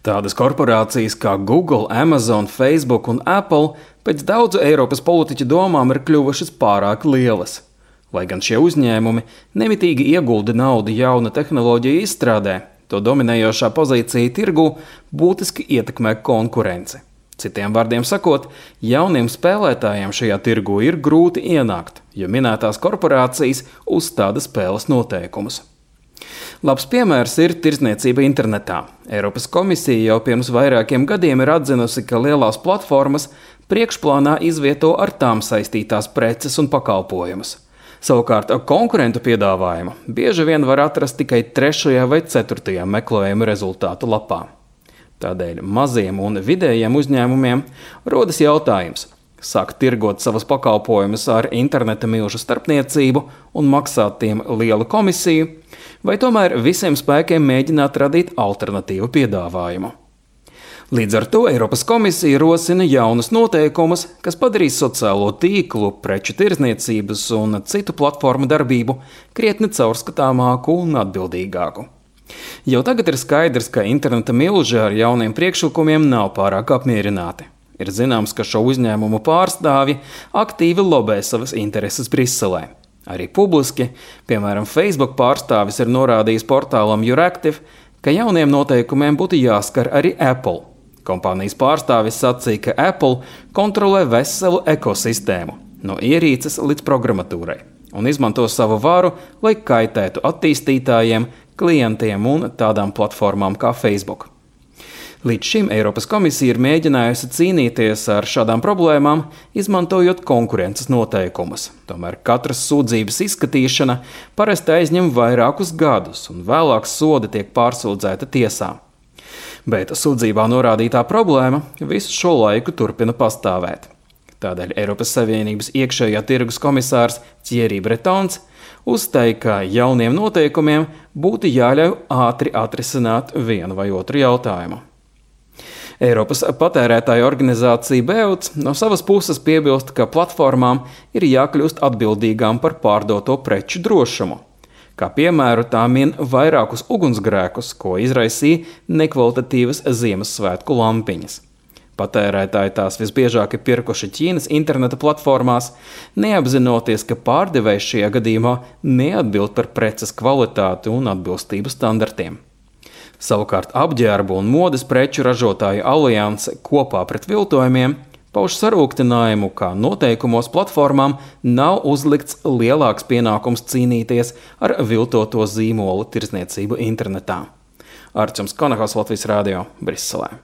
Tādas korporācijas kā Google, Amazon, Facebook un Apple pēc daudzu Eiropas politiķu domām ir kļuvušas pārāk lielas. Lai gan šie uzņēmumi nemitīgi iegulda naudu jaunu tehnoloģiju izstrādē, to dominējošā pozīcija tirgū būtiski ietekmē konkurenci. Citiem vārdiem sakot, jauniem spēlētājiem šajā tirgū ir grūti ienākt, jo minētās korporācijas uzstāda spēles noteikumus. Labs piemērs ir tirdzniecība internetā. Eiropas komisija jau pirms vairākiem gadiem ir atzinusi, ka lielās platformas priekšplānā izvieto ar tām saistītās preces un pakalpojumus. Savukārt konkurentu piedāvājumu bieži vien var atrast tikai 3. vai 4. meklējuma rezultātu lapā. Tādēļ maziem un vidējiem uzņēmumiem rodas jautājums: sākt tirgot savus pakalpojumus ar interneta milžu starpniecību un maksāt tiem lielu komisiju, vai tomēr visiem spēkiem mēģināt radīt alternatīvu piedāvājumu. Līdz ar to Eiropas komisija rosina jaunus noteikumus, kas padarīs sociālo tīklu, preču tirdzniecības un citu platformu darbību krietni caurskatāmāku un atbildīgāku. Jau tagad ir skaidrs, ka interneta milži ar jauniem priekšlikumiem nav pārāk apmierināti. Ir zināms, ka šo uzņēmumu pārstāvji aktīvi lobē savas intereses Briselē. Arī publiski, piemēram, Facebook pārstāvis ir norādījis portālam Euractiv, ka jauniem noteikumiem būtu jāskar arī Apple. Kompānijas pārstāvis sacīja, ka Apple kontrolē veselu ekosistēmu, no ierīces līdz programmatūrai, un izmanto savu varu, lai kaitētu attīstītājiem, klientiem un tādām platformām kā Facebook. Līdz šim Eiropas komisija ir mēģinājusi cīnīties ar šādām problēmām, izmantojot konkurences noteikumus. Tomēr katras sūdzības izskatīšana parasti aizņem vairākus gadus, un vēlāk sodi tiek pārsūdzēta tiesā. Bet sūdzībā norādītā problēma visu šo laiku turpina pastāvēt. Tādēļ Eiropas Savienības iekšējā tirgus komisārs Thierry Bretons uzstāja, ka jauniem noteikumiem būtu jāļauj ātri atrisināt vienu vai otru jautājumu. Eiropas patērētāju organizācija BEUC no savas puses piebilst, ka platformām ir jākļūst atbildīgām par pārdoto preču drošumu. Kā piemēru tā min vairākus ugunsgrēkus, ko izraisīja nekvalitatīvas Ziemassvētku lampiņas. Patērētāji tās visbiežāk ir pirkuši Ķīnas interneta platformās, neapzinoties, ka pārdevējs šajā gadījumā neatbild par preces kvalitāti un atbilstību standartiem. Savukārt apģērbu un modes preču ražotāju alianse Kopā pret viltojumiem pauž sarūktinājumu, ka noteikumos platformām nav uzlikts lielāks pienākums cīnīties ar viltoto zīmolu tirdzniecību internetā. Arčuns Konahaus, Latvijas Rādio, Briselē.